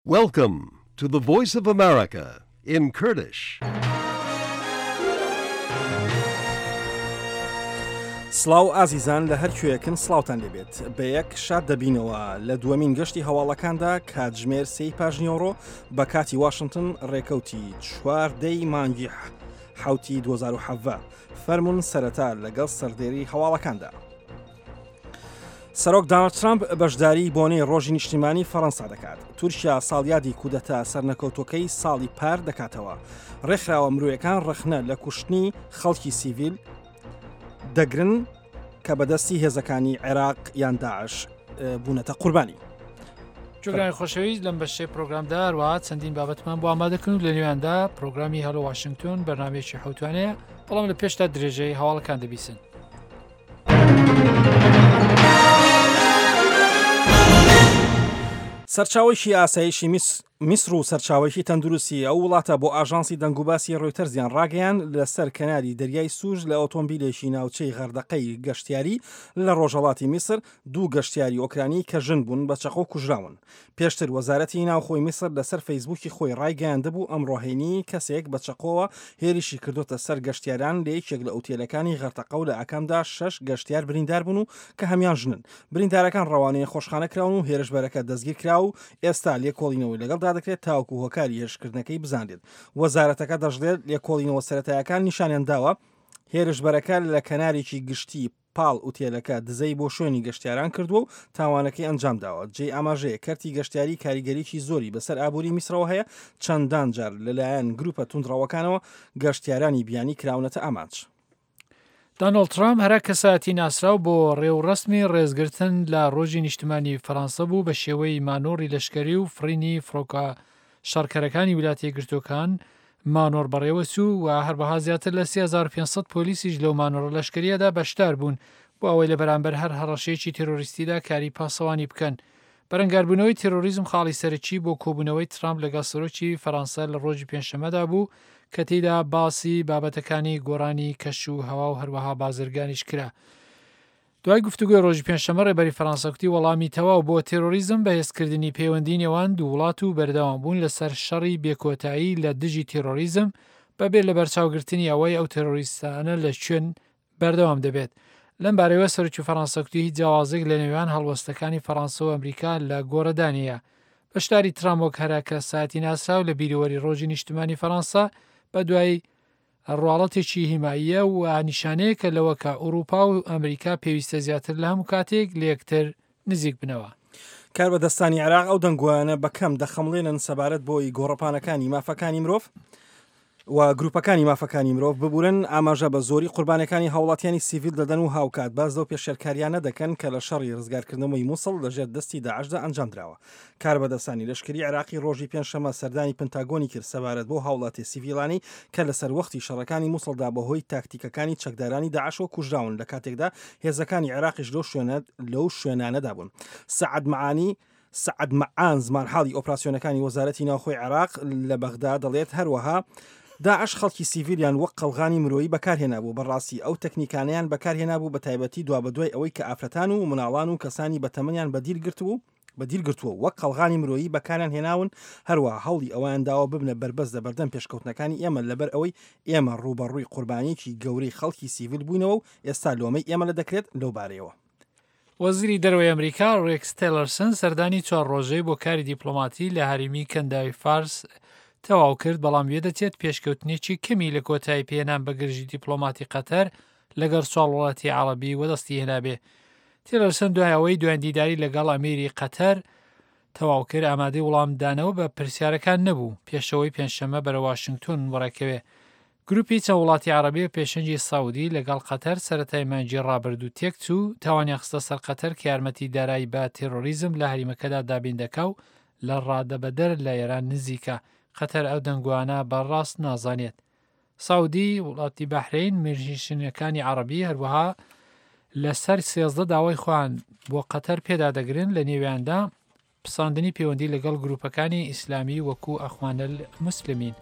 Welcome to the Voice of America in Kurdish. سڵاو ئازیزان لە هەر کوێیەکن سڵاوتان لێبێت بە یەک شاد دەبینەوە لە دووەمین گەشتی هەواڵەکاندا کاتژمێر سێی پاژنیۆڕۆ بە کاتی واشنگتن ڕێکەوتی چواردەی مانگی حوتی 2017 فەرمونون سەرەتا لەگەڵ سەردێری هەواڵەکاندا. سەرۆک داناڵد ترامپ بەشداری بۆنەی ڕۆژی نیشتیمانی فەڕەنسا دەکات. تورکیا ساڵیادی کودەتا سەرنەکەوتووەکەی ساڵی پار دەکاتەوە. ڕێکخراوە مرۆیەکان ڕەخنە لە کوشتنی خەڵکی سیڤیل دەگرن کە بەدەستی هێزەکانی عێراق یان داعش بوونەتە قوربانی. جوگرانی خۆشەویست لەم بەشەی پرۆگرامدا هەروەها چەندین بابەتمان بۆ ئامادەکردن و لە نێویاندا پرۆگرامی هەلۆ واشنگتۆن بەرنمەیەکی حوتوانەیە بەڵام لە پێشتا درێژەی هەواڵەکان دەبیسن. سەرچاوەیەکی ئاسایشی میسر و سەرچاوەیەکی تەندروستی ئەو وڵاتە بۆ ئاژانسی دەنگوباسی ڕۆیتەرزیان ڕاگەیاند، لەسەر کەناری دەریای سوور لە ئۆتۆمبیلێکی ناوچەی غەردەقەی گەشتیاری لە ڕۆژهەڵاتی میسر دوو گەشتیاری ئۆکرانی کە ژن بوون بە چەقۆ کوژراون. پێشتر وەزارەتی ناوخۆی میسر لەسەر فەیسبووکی خۆی ڕایگەیاندبوو ئەمڕۆ هەینی کەسێک بە چەقۆوە هێرشی کردۆتە سەر گەشتیاران لە یەکێک لە ئوتێلەکانی غەرتەقە و لە ئاکامدا شەش گەشتیار بریندار بوون و کە هەموان ژنن. بریندارەکان ڕەوانەی نەخۆشخانە کراون و هێرشبەرەکە دەستگیرکرا و ئێستا لێکۆڵینەوەی لەگەڵدا دەکرێت تاوەکو هۆکاری هێرشکردنەکەی بزانرێت. وەزارەتەکە دەشڵێت لێکۆڵینەوە سەرەتایەکان نیشانیان داوە هێرشبەرەکە لە کەنارێکی گشتی پاڵ ئوتێلەکە دزەی بۆ شوێنی گەشتیاران کردووە و تاوانەکەی ئەنجامداوە. جێی ئاماژەیە کەرتی گەشتیاری کاریگەریی زۆری بەسەر ئابووری میسرەوە هەیە، چەندان جار لەلایەن گروپە توندڕەوەکانەوە گەشتیارانی بیانی کراونەتە ئامانج. دانۆڵد ترامپ هەرە کەسایەتی ناسراو بۆ ڕێوڕەسمی ڕێزگرتن لە ڕۆژی نیشتمانی فەرانسە بوو بە شێوەی مانۆڕی لەشکەری و فڕینی فڕۆکە شەڕکەرەکانی ویلایەتە یەکگرتووەکان مانۆڕ بەڕێوەچوو و هەروەها زیاتر لە 3500 پۆلیسیش لەو مانۆڕە لەشکرییەدا بەشدار بوون بۆ ئەوەی لە بەرامبەر هەر هەڕەشەیەکی تێرۆریستیدا کاری پاسەوانی بکەن. بەرەنگاربوونەوەی تێرۆریزم خاڵی سەرەکی بۆ کۆبوونەوەی ترامپ لەگەڵ سەرۆکی فەرانسە لە ڕۆژی پێنجشەممەدا بوو کە تێیدا باسی بابەتەکانی گۆڕانی کەش و هەوا و هەروەها بازرگانیش کرا. دوای گفتوگۆی ڕۆژی پێنجشەممە ڕێبەری فەرانسە کوتی وەڵامی تەواو بۆ تێرۆریزم بەهێزکردنی پەیوەندی نێوان دوو وڵات و بەردەوامبوون لەسەر شەڕی بێکۆتایی لە دژی تێرۆریزم بەبێ لەبەرچاوگرتنی ئەوەی ئەو تێرۆریستانە لە کوێن بەردەوام دەبێت. لەم بارەیەوە سەرۆکی فەرانسە کوتی هیچ جیاوازێک لە نێوان هەڵوەستەکانی فەرانسە و ئەمریکا لە گۆڕەدا نییە. بەشداری ترامپ وەک هەرە کەسایەتی ناسراو لە بیرەوەری ڕۆژی نیشتمانی فەرانسە بە دوای ڕواڵەتێکی هیماییە و نیشانەیەکە لەوە کە ئوڕووپا و ئەمریکا پێویستە زیاتر لە هەموو کاتێک لە یەکتر نزیک بنەوە. کاربەدەستانی عێراق ئەو دەنگۆیانە بە کەم دەخەمڵێنن سەبارەت بۆی گۆڕەپانەکانی مافەکانی مرۆڤ و گروپەکانی مافەکانی مرۆڤ ببورن ئاماژە بە زۆری قوربانەکانی هاوڵاتیانی سیڤیل دەدەن و هاوکات باس لەو پێشێلکاریانە دەکەن کە لە شەڕی ڕزگارکردنەوەی موسڵ لەژێر دەستی داعشدا ئەنجامدراوە. کاربەدەستانی لەشکری عێراقی ڕۆژی پێنجشەممە سەردانی پنتاگۆنی کرد سەبارەت بەو هاوڵاتیە سیڤیلانەی کە لە سەروەختی شەڕەکانی موسڵدا بەهۆی تاکتیکەکانی چەکدارانی داعشەوە کوژراون لە کاتێکدا هێزەکانی عێراقیش لەو شوێنە لەو شوێنانەدا بوون. سەعد مەعانی سەعد مەعان زمانحاڵی ئۆپراسیۆنەکانی وەزارەتی ناوخۆی عێراق لە بەغدا دەڵێت هەروەها داعش خەڵکی سیڤیلیان وەک قەڵغانی مرۆیی بەکارهێنابوو، بەڕاستی ئەو تەکنیکانەیان بەکارهێنابوو بەتایبەتی دوابەدوای ئەوەی کە ئافرەتان و مناڵان و کەسانی بەتەمەنیان بەدیل گرتبوو بەدیل گرتووە و وەک قەڵغانی مرۆیی بەکاریان هێناون، هەروەها هەوڵی ئەوەیان داوە ببنە بەربەست لەبەردەم پێشکەوتنەکانی ئێمە لەبەر ئەوەی ئێمە ڕووبەڕووی قوربانییەکی گەورەی خەڵکی سیڤیل بووینەوە و ئێستا لۆمەی ئێمە لە دەکرێت لەو بارەیەوە. وەزیری دەرەوەی ئەمریکا ڕێکس تێلەرسن سەردانی چوار ڕۆژەی بۆ کاری دیپلۆماتی لە هەرێمی کەنداوی فارس تەواو کرد، بەڵام وێدەچێت پێشکەوتنێکی کەمی لە کۆتایی پێهێنان بە گرژی دیپلۆماتی قەتەر لەگەڵ چوار وڵاتی عەڕەبی وەدەستی هێنابێ. تیلەرسن دوای ئەوەی دوایین دیداری لەگەڵ ئەمیری قەتەر تەواو کرد، ئامادەی وڵامدانەوە بە پرسیارەکان نەبوو، پێشەوەی پێنجشەممە بەرەو واشنگتۆن وەڕێکەوێ. گروپی چەند وڵاتی عەڕەبی بە پێشەنگی سەعودی لەگەڵ قەتەر سەرەتای مانگی ڕابردوو تێکچوو، تاوانیان خستە سەر قەتەر کە یارمەتی دارایی بە تێرۆریزم لە هەریمەکەدا دابین دەکا و لە ڕادەبەدەر لە ئێران نزیکە. قەتەر ئەو دەنگۆیانە بە ڕاست نازانێت. سعودی، وڵاتی بەحرەین، میرنشینەکانی عەڕەبی هەروەها لەسەر 13 داوای خۆیان بۆ قەتەر پێدادەگرن لە نێویاندا پساندنی پەیوەندی لەگەڵ گروپەکانی ئیسلامی وەکو ئەخوانەلموسلمین.